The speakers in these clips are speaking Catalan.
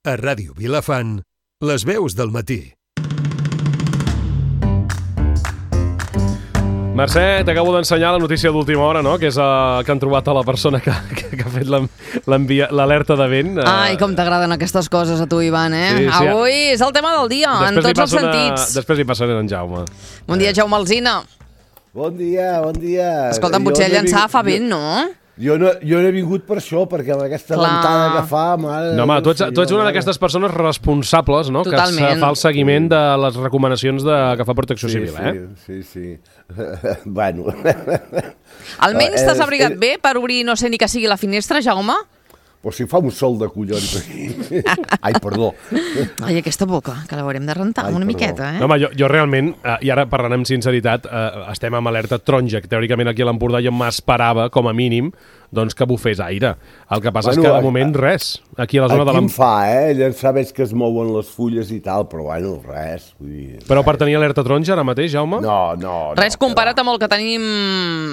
A Ràdio Vilafant, les veus del matí. Mercè, t'acabo d'ensenyar la notícia d'última hora, no? Que és que han trobat a la persona que ha fet l'alerta de vent. Ai, com t'agraden aquestes coses a tu, Ivan, eh? Sí, sí. Avui és el tema del dia, en tots els sentits. Després li passaré a en Jaume. Bon dia, Jaume Alsina. Bon dia, bon dia. Escolta'm, potser llançar fa vent, no? Jo no he vingut per això, perquè amb aquesta ventada que fa... Mare, no, home, tu ets una d'aquestes persones responsables, no? Totalment. Que fa el seguiment de les recomanacions que fa Protecció Civil, Sí. Bueno. Almenys t'has abrigat bé per obrir, no sé ni que sigui la finestra, Jaume? Però si fa un sol de collons aquí. Ai, perdó. Ai, aquesta boca, que l'haurem de rentar una miqueta, eh? No, home, jo realment, i ara parlant amb sinceritat, estem amb alerta taronja, que teòricament aquí a l'Empordà jo m'esperava, com a mínim, doncs que bufés aire. El que passa és que de moment res. Aquí a la zona de Aquí em fa, llançar veig que es mouen les fulles i tal, però bueno, res. Vull dir, però per tenir alerta taronja ara mateix, Jaume? No. Res comparat amb el que tenim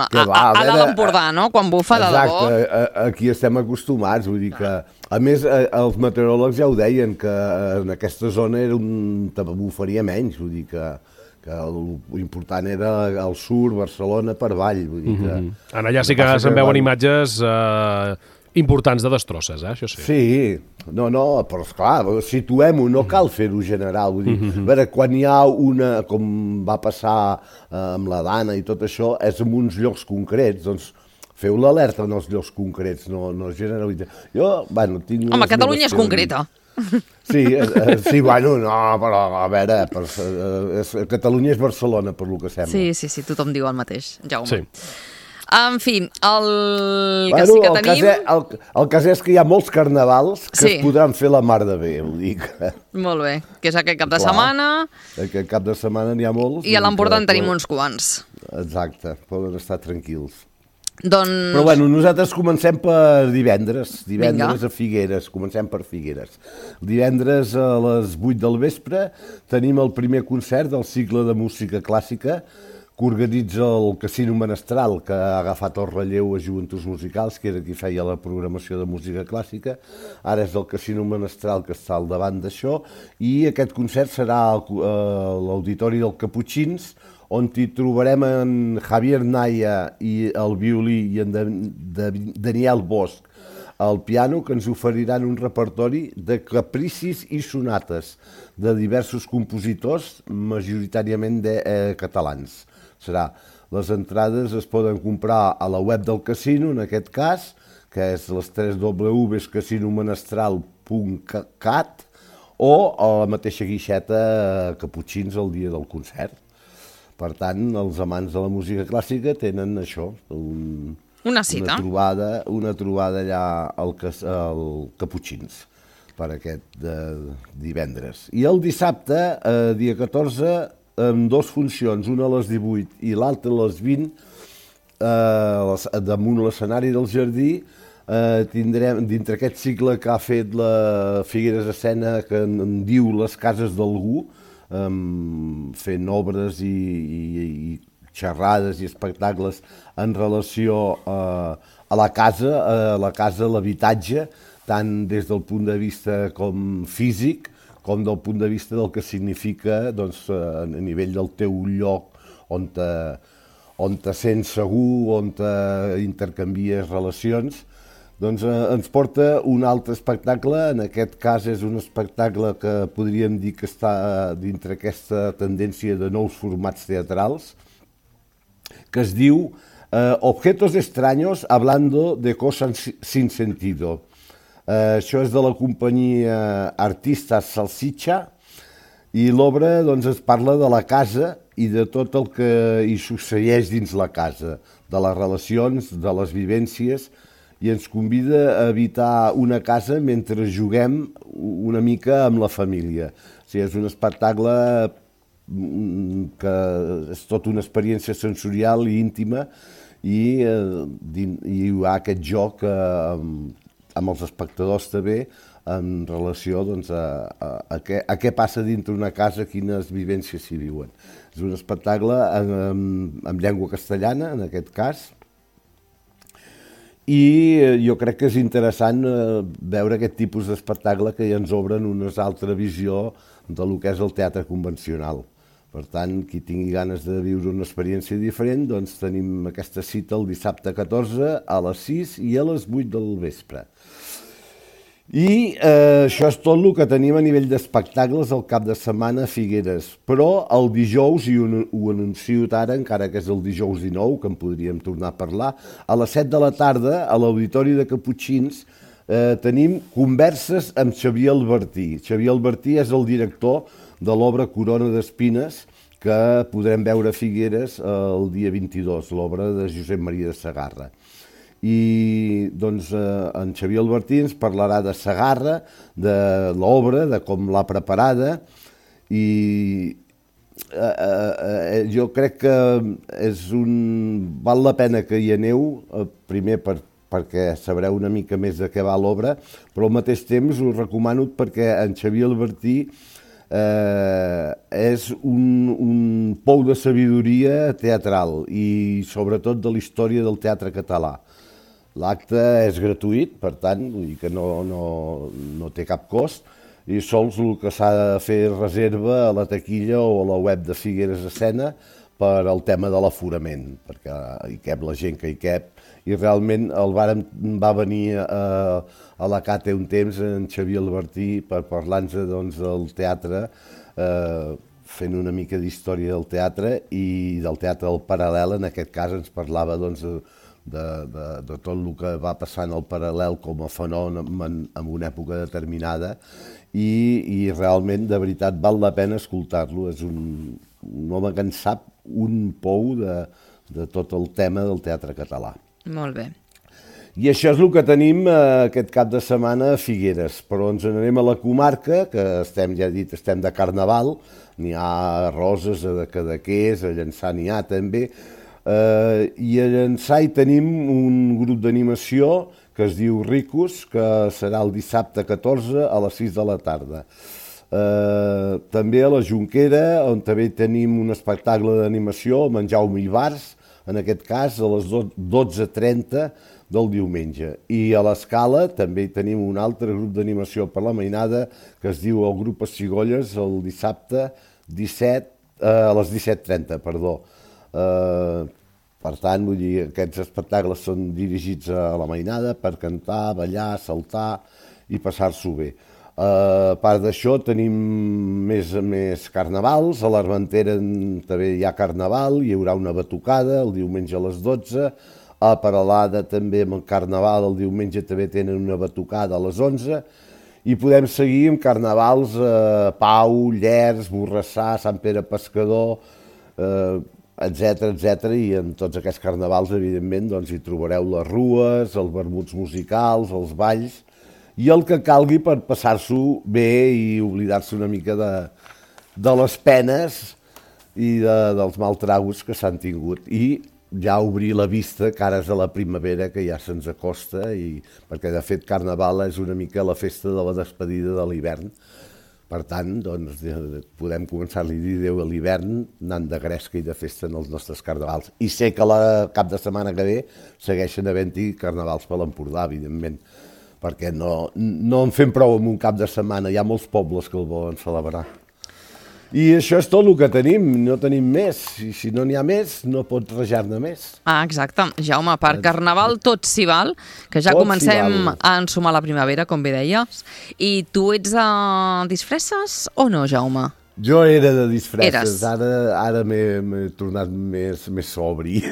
a dalt d'Empordà, no? Quan bufa de debò. Exacte, aquí estem acostumats, vull dir que... A més, els meteoròlegs ja ho deien, que en aquesta zona bufaria menys, vull dir que l'important era el sur, Barcelona, per avall. Vull dir que... En allà sí que se'n veuen imatges importants de destrosses, això sí. Sí, no, però esclar, situem-ho, no cal fer-ho general. Vull dir, a veure, quan hi ha una, com va passar amb la Dana i tot això, és en uns llocs concrets, doncs feu l'alerta en els llocs concrets, no generalitzar. Jo, bueno, tinc... Home, Catalunya és concreta. Sí, bueno, no, però a veure, Catalunya és Barcelona, per lo que sembla. Sí, tothom diu el mateix, Jaume. Sí. En fi, el que sí que tenim... El cas és que hi ha molts carnavals que es podran fer la mar de bé, ho dic. Molt bé, que és aquest cap de setmana. Aquest cap de setmana n'hi ha molts. I a l'Empordà en tenim uns quants. Exacte, poden estar tranquils. Doncs... Però bueno, nosaltres comencem per divendres a Figueres, comencem per Figueres. Divendres a les 8 del vespre tenim el primer concert del cicle de música clàssica que organitza el Casino Menestral, que ha agafat el relleu a Joventuts Musicals, que era qui feia la programació de música clàssica. Ara és el Casino Menestral que està al davant d'això, i aquest concert serà a l'Auditori del Caputxins, on hi trobarem en Javier Naya i el violí i en Daniel Bosch al piano, que ens oferiran un repertori de capricis i sonates de diversos compositors, majoritàriament catalans. Les entrades es poden comprar a la web del casino, en aquest cas, que és les 3 www.casinomenestral.cat, o a la mateixa guixeta Caputxins el dia del concert. Per tant, els amants de la música clàssica tenen això, una cita. Una trobada allà al Caputxins per aquest divendres. I el dissabte, dia 14, amb 2 funcions, una a les 18 i l'altra a les 20, damunt l'escenari del Jardí, tindrem, dintre aquest cicle que ha fet la Figueres Escena, que en diu Les cases d'algú, fent obres i xerrades i espectacles en relació a la casa, l'habitatge, tant des del punt de vista com físic, com del punt de vista del que significa a nivell del teu lloc on te sents segur, on intercanvies relacions. Doncs ens porta un altre espectacle, en aquest cas és un espectacle que podríem dir que està dintre aquesta tendència de nous formats teatrals, que es diu Objetos extraños hablando de cosas sin sentido. Això és de la companyia Artistas Salsitxa, i l'obra es parla de la casa i de tot el que hi succeeix dins la casa, de les relacions, de les vivències, i ens convida a habitar una casa mentre juguem una mica amb la família. O sigui, és un espectacle que és tota una experiència sensorial i íntima, i hi ha aquest joc amb els espectadors també en relació a què passa dintre una casa, quines vivències s'hi viuen. És un espectacle en llengua castellana, en aquest cas, i jo crec que és interessant veure aquest tipus d'espectacle que ja ens obren una altra visió de lo que és el teatre convencional. Per tant, qui tingui ganes de viure una experiència diferent, doncs tenim aquesta cita el dissabte 14 a les 6 i a les 8 del vespre. I això és tot el que tenim a nivell d'espectacles el cap de setmana a Figueres. Però el dijous, i ho anuncio ara, encara que és el dijous 19, que en podríem tornar a parlar, a les 7 de la tarda, a l'Auditori de Caputxins, tenim converses amb Xavier Albertí. Xavier Albertí és el director de l'obra Corona d'Espines, que podrem veure a Figueres el dia 22, l'obra de Josep Maria de Segarra. I doncs en Xavier Albertí ens parlarà de Segarra, de l'obra, de com l'ha preparada, i jo crec que val la pena que hi aneu, primer perquè sabreu una mica més de què va l'obra, però al mateix temps us recomano perquè en Xavier Albertí és un pou de sabidoria teatral i sobretot de la història del teatre català. L'acte és gratuït, per tant, vull dir que no té cap cost, i sols el que s'ha de fer és reserva a la taquilla o a la web de Figueres Escena per al tema de l'aforament, perquè hi cap la gent que hi cap, i realment va venir a la CATE un temps en Xavier Albertí per parlar-nos del teatre, fent una mica d'història del teatre i del teatre del paral·lel. En aquest cas ens parlava de tot el que va passar en el paral·lel com a fenomen en una època determinada i realment, de veritat, val la pena escoltar-lo. És un home que en sap un pou de tot el tema del teatre català. Molt bé. I això és el que tenim aquest cap de setmana a Figueres, però ens n'anem a la comarca, que estem de Carnaval, n'hi ha a Roses, a Cadaqués, a Llançà n'hi ha també, i a Llançà hi tenim un grup d'animació que es diu Ricos, que serà el dissabte 14 a les 6 de la tarda. També a la Jonquera, on també tenim un espectacle d'animació, amb en Jaume Ibars, en aquest cas a les 12:30 del diumenge. I a l'Escala també tenim un altre grup d'animació per la mainada que es diu el grup Pessigolles el dissabte a les 17:30, perdó. Per tant, vull dir, aquests espectacles són dirigits a la mainada per cantar, ballar, saltar i passar-s'ho bé. A part d'això tenim més carnavals, a l'Armentera també hi ha carnaval, hi haurà una batucada el diumenge a les 12, a Peralada també amb el carnaval, el diumenge també tenen una batucada a les 11, i podem seguir amb carnavals a Pau, Llers, Borrassà, Sant Pere Pescador, etc. I en tots aquests carnavals, evidentment, hi trobareu les rues, els vermuts musicals, els balls, i el que calgui per passar-s'ho bé i oblidar-se una mica de les penes i dels maltragos que s'han tingut. I ja obrir la vista cares a la primavera, que ja se'ns acosta, perquè de fet Carnaval és una mica la festa de la despedida de l'hivern. Per tant, podem començar-li a dir adéu a l'hivern anant de gresca i de festa en els nostres carnavals. I sé que el cap de setmana que ve segueixen havent-hi carnavals per l'Empordà, evidentment, perquè no en fem prou en un cap de setmana, hi ha molts pobles que el volen celebrar. I això és tot el que tenim, no tenim més. I si no n'hi ha més, no pots rajar-ne més. Exacte. Jaume, per Carnaval tot s'hi val, que ja comencem a ensumar la primavera, com bé deies. I tu ets de disfresses o no, Jaume? Jo era de disfresses, ara m'he tornat més sobri.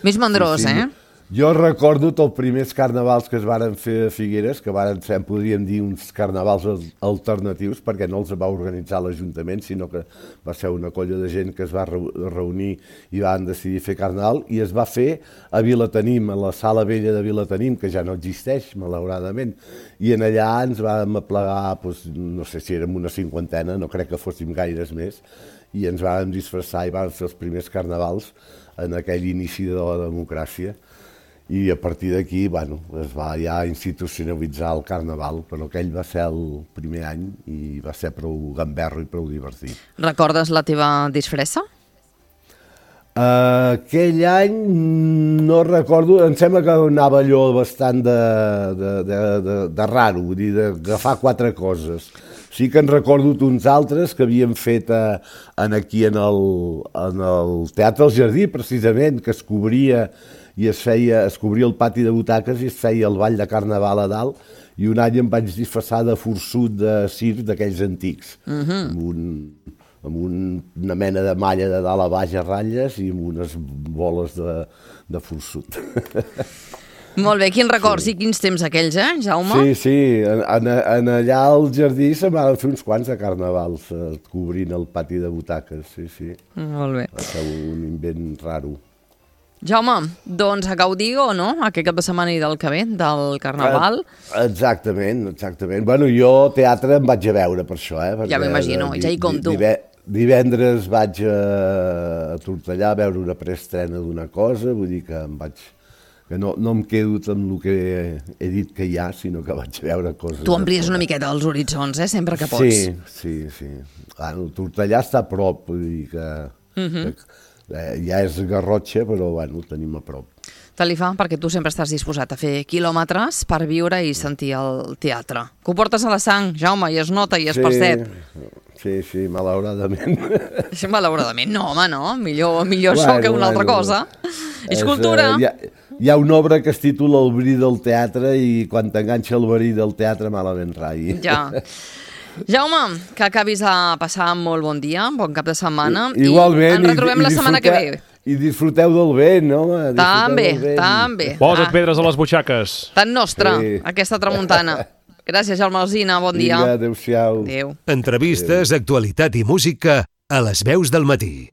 Més mandrós, sí. Jo recordo tots els primers carnavals que es varen fer a Figueres, que varen ser, podríem dir, uns carnavals alternatius, perquè no els va organitzar l'Ajuntament, sinó que va ser una colla de gent que es va reunir i van decidir fer carnaval, i es va fer a Vilatenim, a la Sala Vella de Vilatenim, que ja no existeix, malauradament, i en allà ens vam aplegar, no sé si érem una 50, no crec que fóssim gaires més, i ens vam disfressar i vam fer els primers carnavals en aquell inici de la democràcia. I a partir d'aquí, es va ja institucionalitzar el Carnaval, però aquell va ser el primer any i va ser prou gamberro i prou divertit. Recordes la teva disfressa? Aquell any no recordo, em sembla que anava allò bastant de raro, vull dir, d'agafar 4 coses. Sí que en recordo uns altres que havíem fet aquí en el Teatre del Jardí, precisament, que es cobria i es cobria el pati de butaques i es feia el ball de carnaval a dalt, i un any em vaig disfressar de forçut de circ d'aquells antics, amb una mena de malla de dalt a baix a ratlles i amb unes boles de forçut. Molt bé, quins records i quins temps aquells, Jaume? Sí, allà al jardí se m'han fet uns quants de carnavals cobrint el pati de butaques, sí. Molt bé. Va ser un invent raro. Jaume, doncs a gaudir o no, aquest cap de setmana i del que ve, del Carnaval? Exactament. Bueno, jo teatre em vaig a veure per això, Ja m'imagino, ja hi compto. Divendres vaig a Tortellà a veure una preestrena d'una cosa, vull dir que que no em quedo amb el que he dit que hi ha, sinó que vaig a veure coses. Tu amplies una miqueta els horitzons, sempre que pots. Sí. Bueno, Tortellà està a prop, vull dir que ja és Garrotxa, però bueno, ho tenim a prop. Te li fa perquè tu sempre estàs disposat a fer quilòmetres per viure i sentir el teatre. Que ho portes a la sang, Jaume, i es nota i es percep. Sí, malauradament. Malauradament, no, home, no. Millor això que una altra cosa. És cultura. Hi ha una obra que es titula El verí del teatre i quan t'enganxa el verí del teatre malament rai. Ja. Jaume, que acabis de passar molt bon dia, bon cap de setmana. Igualment. I ens retrobem la setmana que ve. I disfruteu del vent, home. També. Posa't pedres a les butxaques. Tan nostra, aquesta tramuntana. Gràcies, Jaume Alsina, bon dia. Vinga, adéu-siau. Adéu. Entrevistes, actualitat i música a les veus del matí.